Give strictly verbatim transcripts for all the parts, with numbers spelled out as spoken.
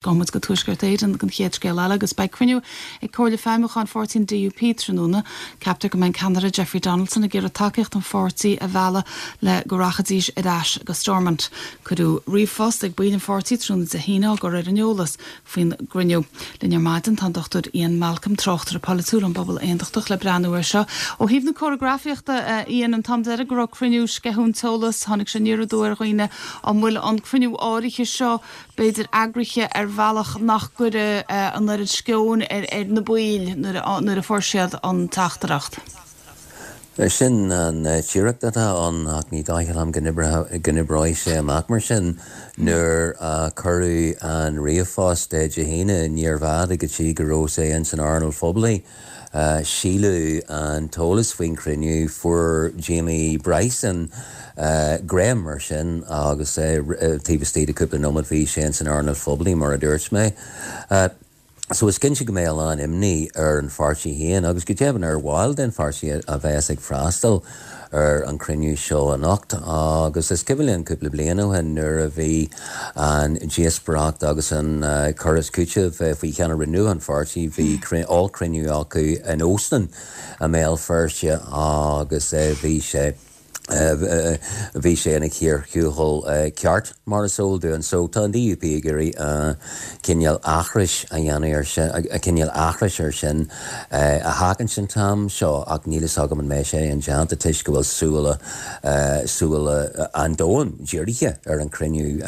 Gabhfaidh muid go Tuaisceart Éireann don chéad scéal eile agus beidh cruinniú ag Comhairle Feidhmiúcháin Pháirtí an D U P tráthnóna. Ceaptar go mbeidh ceannaire Jeffrey Donaldson ag iarraidh tacaíocht an pháirtí a mhealladh le go rachaidís ar ais go Stormont. Cuireadh ríomhphost ag baill an pháirtí tráthnóna Dé hAoine á gcur ar an eolas faoin gcruinniú. Linn ar maidin tá an Dochtúir Ian Malcolm, tráchtaire polaitiúil ón bPobal Aontachtach, le breathnú air seo. Ó thaobh na córagrafaíochta, Ian, an t-am deiridh go raibh cruinniú, sceitheadh an t-eolas, tháinig sé aniar aduaidh ar dhaoine. An bhfuil an cruinniú áirithe seo b'fhéidir eagraithe ar bhealach nach gcuirfidh an oiread sceoin ar ar na baill nuair nuair a fuair siad an teachtaireacht? Sin an teoiric atá ann, ach ní dóigh liom go n-oibreoidh sé amach mar sin. Nuair a cuireadh an ríomhphost Dé hAoine, níorbh fhada go dtí go raibh sé in san earnáil phoiblí. Scaoileadh an t-eolas faoin chruinniú, fuair Jamie Bryson greim air sin agus taobh istigh de cúpla nóiméad bhí sé in san earnáil phoiblí, mar a dúirt mé. So is cinnte go mbeidh a lán imní ar an pháirtí féin agus go deimhin ar bhaill den pháirtí a bheas ag freastal ar an cruinniú seo anocht. Agus is cuimhin liom cúpla bliain ó shin nuair a bhí an díospóireacht agus an cur is cúiteamh faoi cheannaire nua an pháirtí, bhí ollchruinniú acu in óstán i mBéal Feirste agus bhí sé bhí sé ina chíor thuathail ceart, mar is eol dúinn. So tá an D U P ag iarraidh cineál aithris a dhéanamh ar sin, cineál aithris ar sin a sheachaint an t-am seo, ach níl fhios agam an mbeidh sé indéanta toisc go bhfuil súile súile an domhain dírithe ar an cruinniú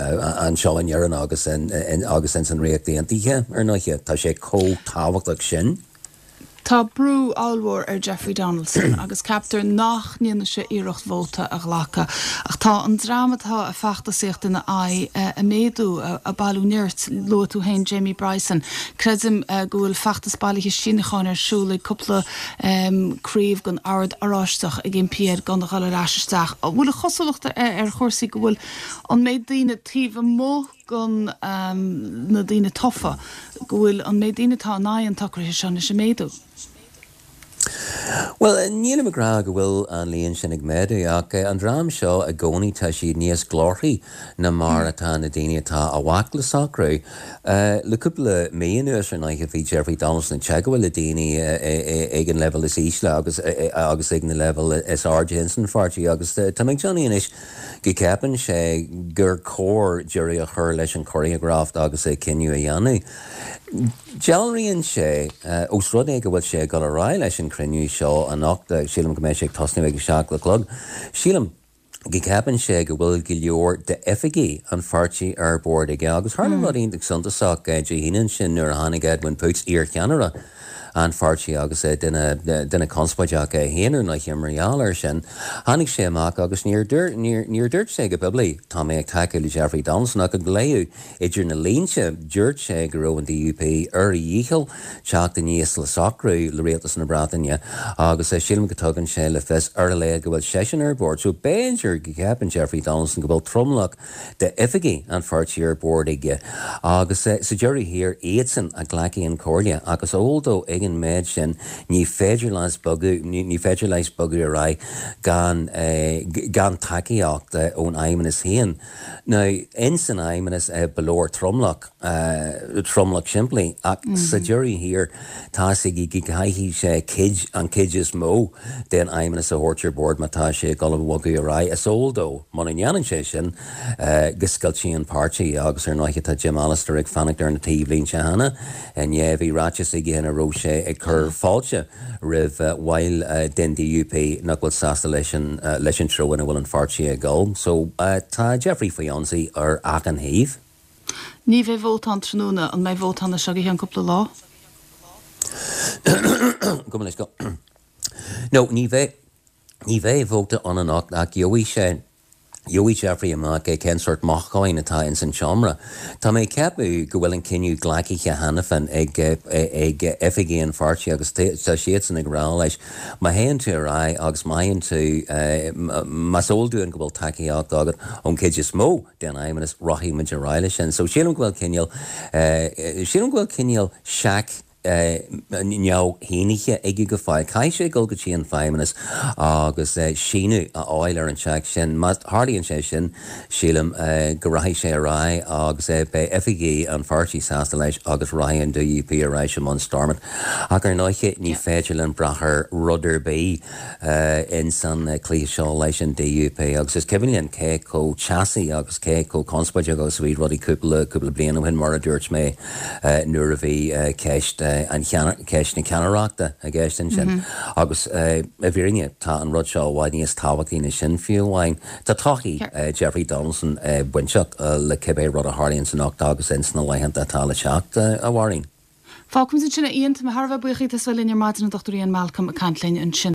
anseo in Éirinn agus agus in san Ríocht Aontaithe ar ndóigh. Tá sé chomh tábhachtach sin. Tá brú ollmhór ar Jeffrey Donaldson agus ceaptar nach ndéanfaidh sé iarracht vóta a ghlacadh. Ach tá an dream atá ag feachtasaíocht ina aghaidh ag méadú, ag bailiú nirt. Luaigh tú féin Jamie Bryson. Creidim go bhfuil feachtas bailithe síniúcháin ar siúl ag cúpla craobh den Ord Oráisteach ag impí air gan a dhul ar ais isteach. An bhfuil an chosúlacht ar chúrsaí go bhfuil an méid daoine taobh amuigh den na daoine tofa, go bhfuil an méid daoine atá in aghaidh an tsocraithe seo anois ag méadú? Well, nílim ag rá go bhfuil an líon sin ag méadú, ach an dream seo i gcónaí tá siad níos glórthaí ná mar atá na daoine atá i bhfách le socrú. Le cúpla mí anuas ar ndóigh bhí Jeffrey Donaldson ag teagmháil le daoine ag an leibhéal is ísle agus agus ag na leibhéal is airde in san pháirtí, agus tá mé ag déanamh anois go gceapann sé gur chóir deireadh a chur leis an choreograft agus é cinneadh a dhéanamh. Dealraíonn sé, ós rud é go bhfuil sé ag dul ar aghaidh leis an cruinniú seo anocht, sílim go mbeidh sé ag tosnú ag a seacht a chlog, sílim go gceapann sé go bhfuil go leor d'oifigigh an pháirtí ar bord aige. Agus tharla rud iontach suntasach Dé hAoine ansin nuair a tháinig Edwin Poots, iarcheannaire an pháirtí agus duine duine conspóideach é féin ar ndóigh mar gheall air sin. Tháinig sé amach agus níor níor dúirt sé go poiblí, "Tá mé ag tacú le Jeffrey Donaldson," ach ag léamh idir na línte dúirt sé go raibh an D U P ar a dhícheall teacht aníos le socrú le rialtas na Breataine, agus sílim go dtugann sé le fios ar a laghad go bhfuil seisean ar bord. So b'fhéidir go gceapann Jeffrey Donaldson go bhfuil tromlach d'oifigigh an pháirtí ar bord aige, agus sa deireadh thiar iadsan a ghlacfaidh an chomhairle, agus eol dó ag an méid sin ní féidir leis bogadh ní féidir leis bogadh ar aghaidh gan gan tacaíocht ón Fheidhmeannas féin. Now, in san Fheidhmeannas ba leor tromlach, tromlach simplí, ach sa deireadh thiar tá sé go gcaithfidh sé cuid an chuid is mó den Fheidhmeannas a thabhairt ar bord má tá sé ag dul a bhogadh ar aghaidh. Is eol dó muna ndéanann sé sin go scoiltfidh an páirtí, agus ar ndóigh tá Jim Allister ag fanacht ar na taobhlínte cheana. Inné bhí ráiteas aige ina raibh sé ag cur fáilte roimh bhaill den D U P nach bhfuil sásta leis an leis an treo ina bhfuil an pháirtí ag dul. So tá Jeffrey faoi ionsaí ar achan thaobh. Ní bheidh vóta ann tráthnóna. An mbeidh vóta ann seo go ceann cúpla lá? Go leis go. No, ní bheidh ní bheidh vóta ann anocht, ach gheobhaidh sé gheobhaidh Jeffrey amach é cén sórt mothúcháin atá ins an seomra. Tá mé ag ceapadh go bhfuil an cinneadh glactha cheana féin ag ag oifigigh an pháirtí, agus tá siadsan ag rá leis, má théann tú ar aghaidh agus má théann tú, más eol dúinn go bhfuil tacaíocht agat ón chuid is mó den Fheidhmeannas, rachaidh muid ar aghaidh leis sin. So sílim go bhfuil cineál sílim go bhfuil cineál seac neamhshínithe aige go fóill. Caithfidh sé dul go dtí an Feidhmeannas agus síniú a fháil ar an seic sin. Má tharlaíonn sé sin, sílim go rachaidh sé ar aghaidh agus beidh oifigigh an pháirtí sásta leis agus rachaidh an DUP ar ais i mbun Stormont. Ach ar ndóigh ní féidir linn brath ar rud ar bith ins an cluiche seo leis an DUP agus is cuimhin linn cé chomh teasaí agus cé chomh conspóideach agus a bhí rudaí cúpla cúpla bliain ó shin mar a dúirt mé nuair a bhí ceist an ceist na ceannaireachta i gceist ansin. Agus i bhfírinne tá an rud seo i bhfad níos tábhachtaí ná sin fiú amháin. Tá todhchaí Jeffrey Donaldson bainteach le cibé rud a tharlaíonn anocht agus ins na laethanta atá le teacht a Mháirín. Fágfaimid ansin é Ian, tá mé thar a bheith buíoch as a bheith linn ar maidin an Dr Ian Malcolm ag caint linn ansin.